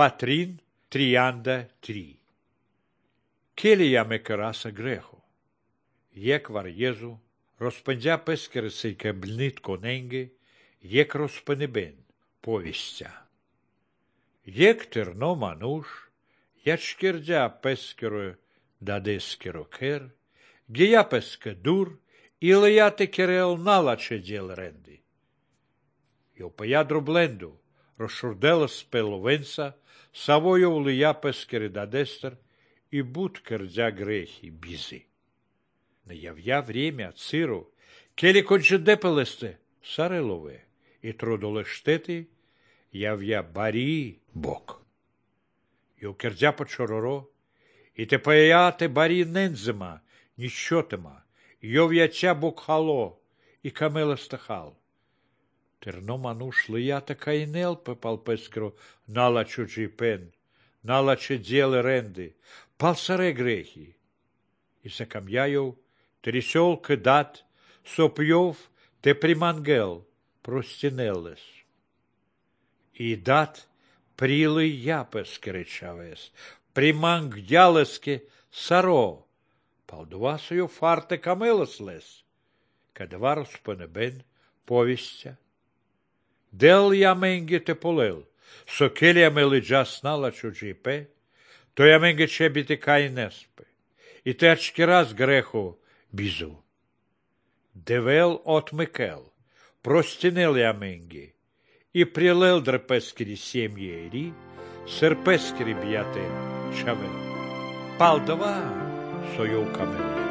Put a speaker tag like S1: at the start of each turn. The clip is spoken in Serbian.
S1: Патрин, Тріанда, Трі. Келі яме кераса грехо. Єквар Єзу, розпендя пескериси кеблнит коненги, єк розпенебен, повістя. Єк терно мануш, ячкердя пескеро дадескеро кер, гея песке дур, і леяте керел налаче діл ренди. Йопая дробленду, розшурдела спеловенса, савою лея пескери дадестер, и буд кердя грехи бизи. Не явя время циру, келі конче депелесте, сарелове, и трудолештети, явя барі бок. Йо кердя почороро, и те паяте барі нензема, нічотема, йов'яча бокхало, и камела стахал. Терно мануш лията кайнел пепал пескро налачу джипен, налаче дjelе ренди, пал саре грехи. И закам'яйов, трісьол кидат, сопйов, те примангел, простінелес. И дат прилы я пескеречавес, примангдялеске саро, палдувасою фарте камелес лес, кадва розпенебен повістя. Дел я менге те полел, сокелія мелиджа снала чуджіпе, то я менге чебіте кайнеспе, і те ачкераз греху бізу. Девел от Микел, простінел я менге, і прилел дрепескері сім'єрі, серпескері б'яте чавел. Палдова сойов камеле.